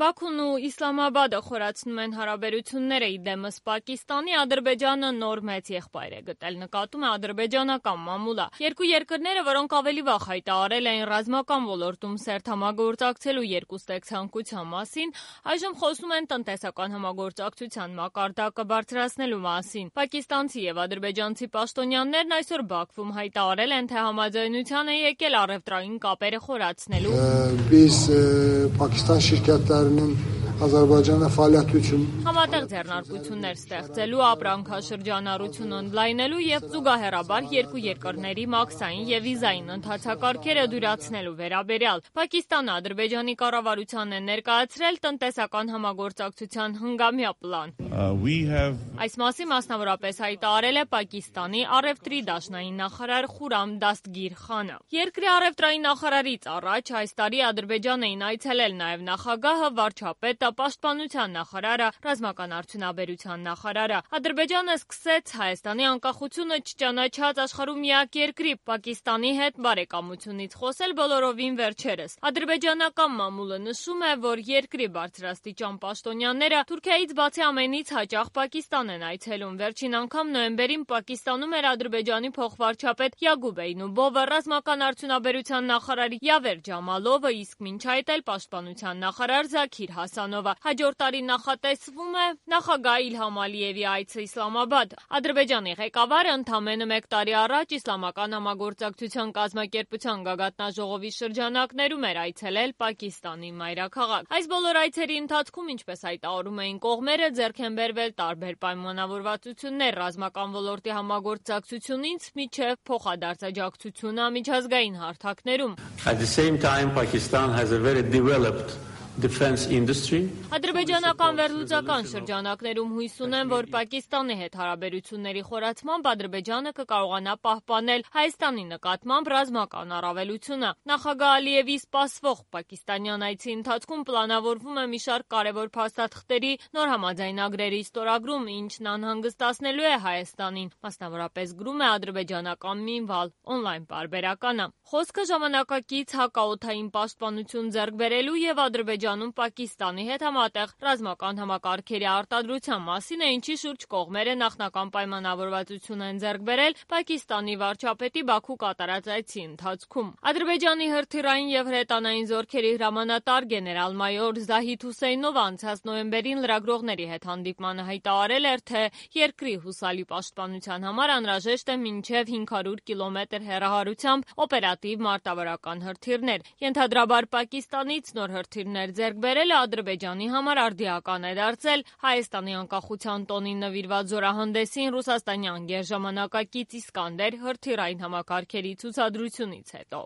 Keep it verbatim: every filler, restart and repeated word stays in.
Բաքուն ու Իսլամաբադը խորացնում են հարաբերությունները իդեմս Պակիստանի, Ադրբեջանը նոր մեծ եղբայր է գտել, նկատում է ադրբեջանական մամուլը։ Երկու երկրները, որոնք ավելի վաղ հայտարարել էին ռազմական ոլորտում սերտ համագործակցելու երկուստեք ցանկության մասին, այժմ խոսում են տնտեսական համագործակցության մակարդակը բարձրացնելու մասին։ Պակիստանցի եւ ադրբեջանցի պաշտոնյաներն այսօր Բաքվում հայտարարել են, թե համաձայնության է եկել առևտրային կապերը խորացնելու։ Biz Pakistan şirketlerinin Azərbaycanda fəaliyyət üçün համատեղ ձեռնարկություններ ստեղծելու, ապրանքաշրջանառություն ընդլայնելու եւ զուգահեռաբար երկու երկրների մաքսային եւ վիզային ընթացակարգերը դյուրացնելու վերաբերյալ Պակիստանը Ադրբեջանի կառավարությանն է ներկայացրել տնտեսական համագործակցության հնգամյա պլան։ Այս մասին մասնավորապես հայտարարել է Պակիստանի առևտրի դաշնային նախարար Խուրամ Դաստգիր Խանը։ Երկրի առևտրային նախարարից առաջ այս տարի Ադրբեջան էին այցելել նաեւ նախագահը, վարչապետը, պաշտպանության նախարարը, ռազմական արդյունաբերության նախարարը։ Ադրբեջանը սկսեց Հայաստանի անկախությունը չճանաչած աշխարհում միակ երկրի Պակիստանի հետ բարեկամությունից խոսել բոլորովին վերջերս։ Ադրբեջանական մամուլը նշում է, որ երկրի բարձրաստիճան պաշտոնյաները Թուրքիայից բացի ամենից հաճախ Պակիստան են այցելում։ Վերջին անգամ նոյեմբերին Պակիստանում էր Ադրբեջանի փոխվարչապետ Յակուբ Էյնուբովը, ռազմական արդյունաբերության նախարար Յավեր Ջամալովը, իսկ մինչ այդ էլ պաշտպանության նախարար Զաքիր Հասանովը։ Հաջորդ տարի նախատեսվում է նախագահ Իլհամ Ալիևի այցը Իսլամաբադ։ Ադրբեջանի ղեկավարը ընդամենը մեկ տարի առաջ Իսլամական համագործակցության կազմակերպության գագաթնաժողովի շրջանակներում էր այցելել Պակիստանի մայրաքաղաք։ Այս բոլոր այցերի ընթացքում, ինչպես հայտարարում էին կողմերը, ձեռք են բերվել տարբեր պայմանավորվածություններ ռազմական ոլորտի համագործակցությունից մինչև փոխադարձաջակցությունը միջազգային հարթակներում։ At the same time, Pakistan has a very developed defense industry. Ադրբեջանական վերլուծական շրջանակներում հույս ունեն, որ Պակիստանի հետ հարաբերությունների խորացմամբ Ադրբեջանը կկարողանա պահպանել Հայաստանի նկատմամբ ռազմական առավելությունը։ Նախագահ Ալիևի սպասվող պակիստանյան այցի ընթացքում պլանավորվում է մի շարք կարևոր փաստաթղթերի նոր համաձայնագրերի ստորագրում, ինչն անհանգստացնելու է Հայաստանին, մասնավորապես գրում է ադրբեջանական Մինվալ օնլայն պարբերականը։ Խոսքը ժամանակակից հակաօդային պաշտպանություն ձեռք բերելու եւ Ադրբեջանում Պակիստանի հետ համատեղ ռազմական համակարգերի արտադրության մասին է, ինչի շուրջ կողմերը նախնական պայմանավորվածություն են ձեռք բերել Պակիստանի վարչապետի Բաքու կատարած այցի ընթացքում։ Ադրբեջանի հրթիռային եւ հրետանային զորքերի հրամանատար գեներալ-մայոր Զահիդ Հուսեյնովը անցած նոյեմբերին լրագրողների հետ հանդիպմանը հայտարարել էր, թե երկրի հուսալի պաշտպանության համար անհրաժեշտ է մինչև հինգ հարյուր կիլոմետր հեռահարությամբ օպերատիվ մարտավարական հրթիռներ։ Ենթադրաբար Պակիստանից նոր հրթիռներ ձեռք բերելը Ադրբեջանի համար արդիական է դարձել Հայաստանի անկախության տոնին նվիրված զորահանդեսին ռուսաստանյան գերժամանակակից Իսկանդեր հրթիռային համակարգերի ցուցադրությունից հետո։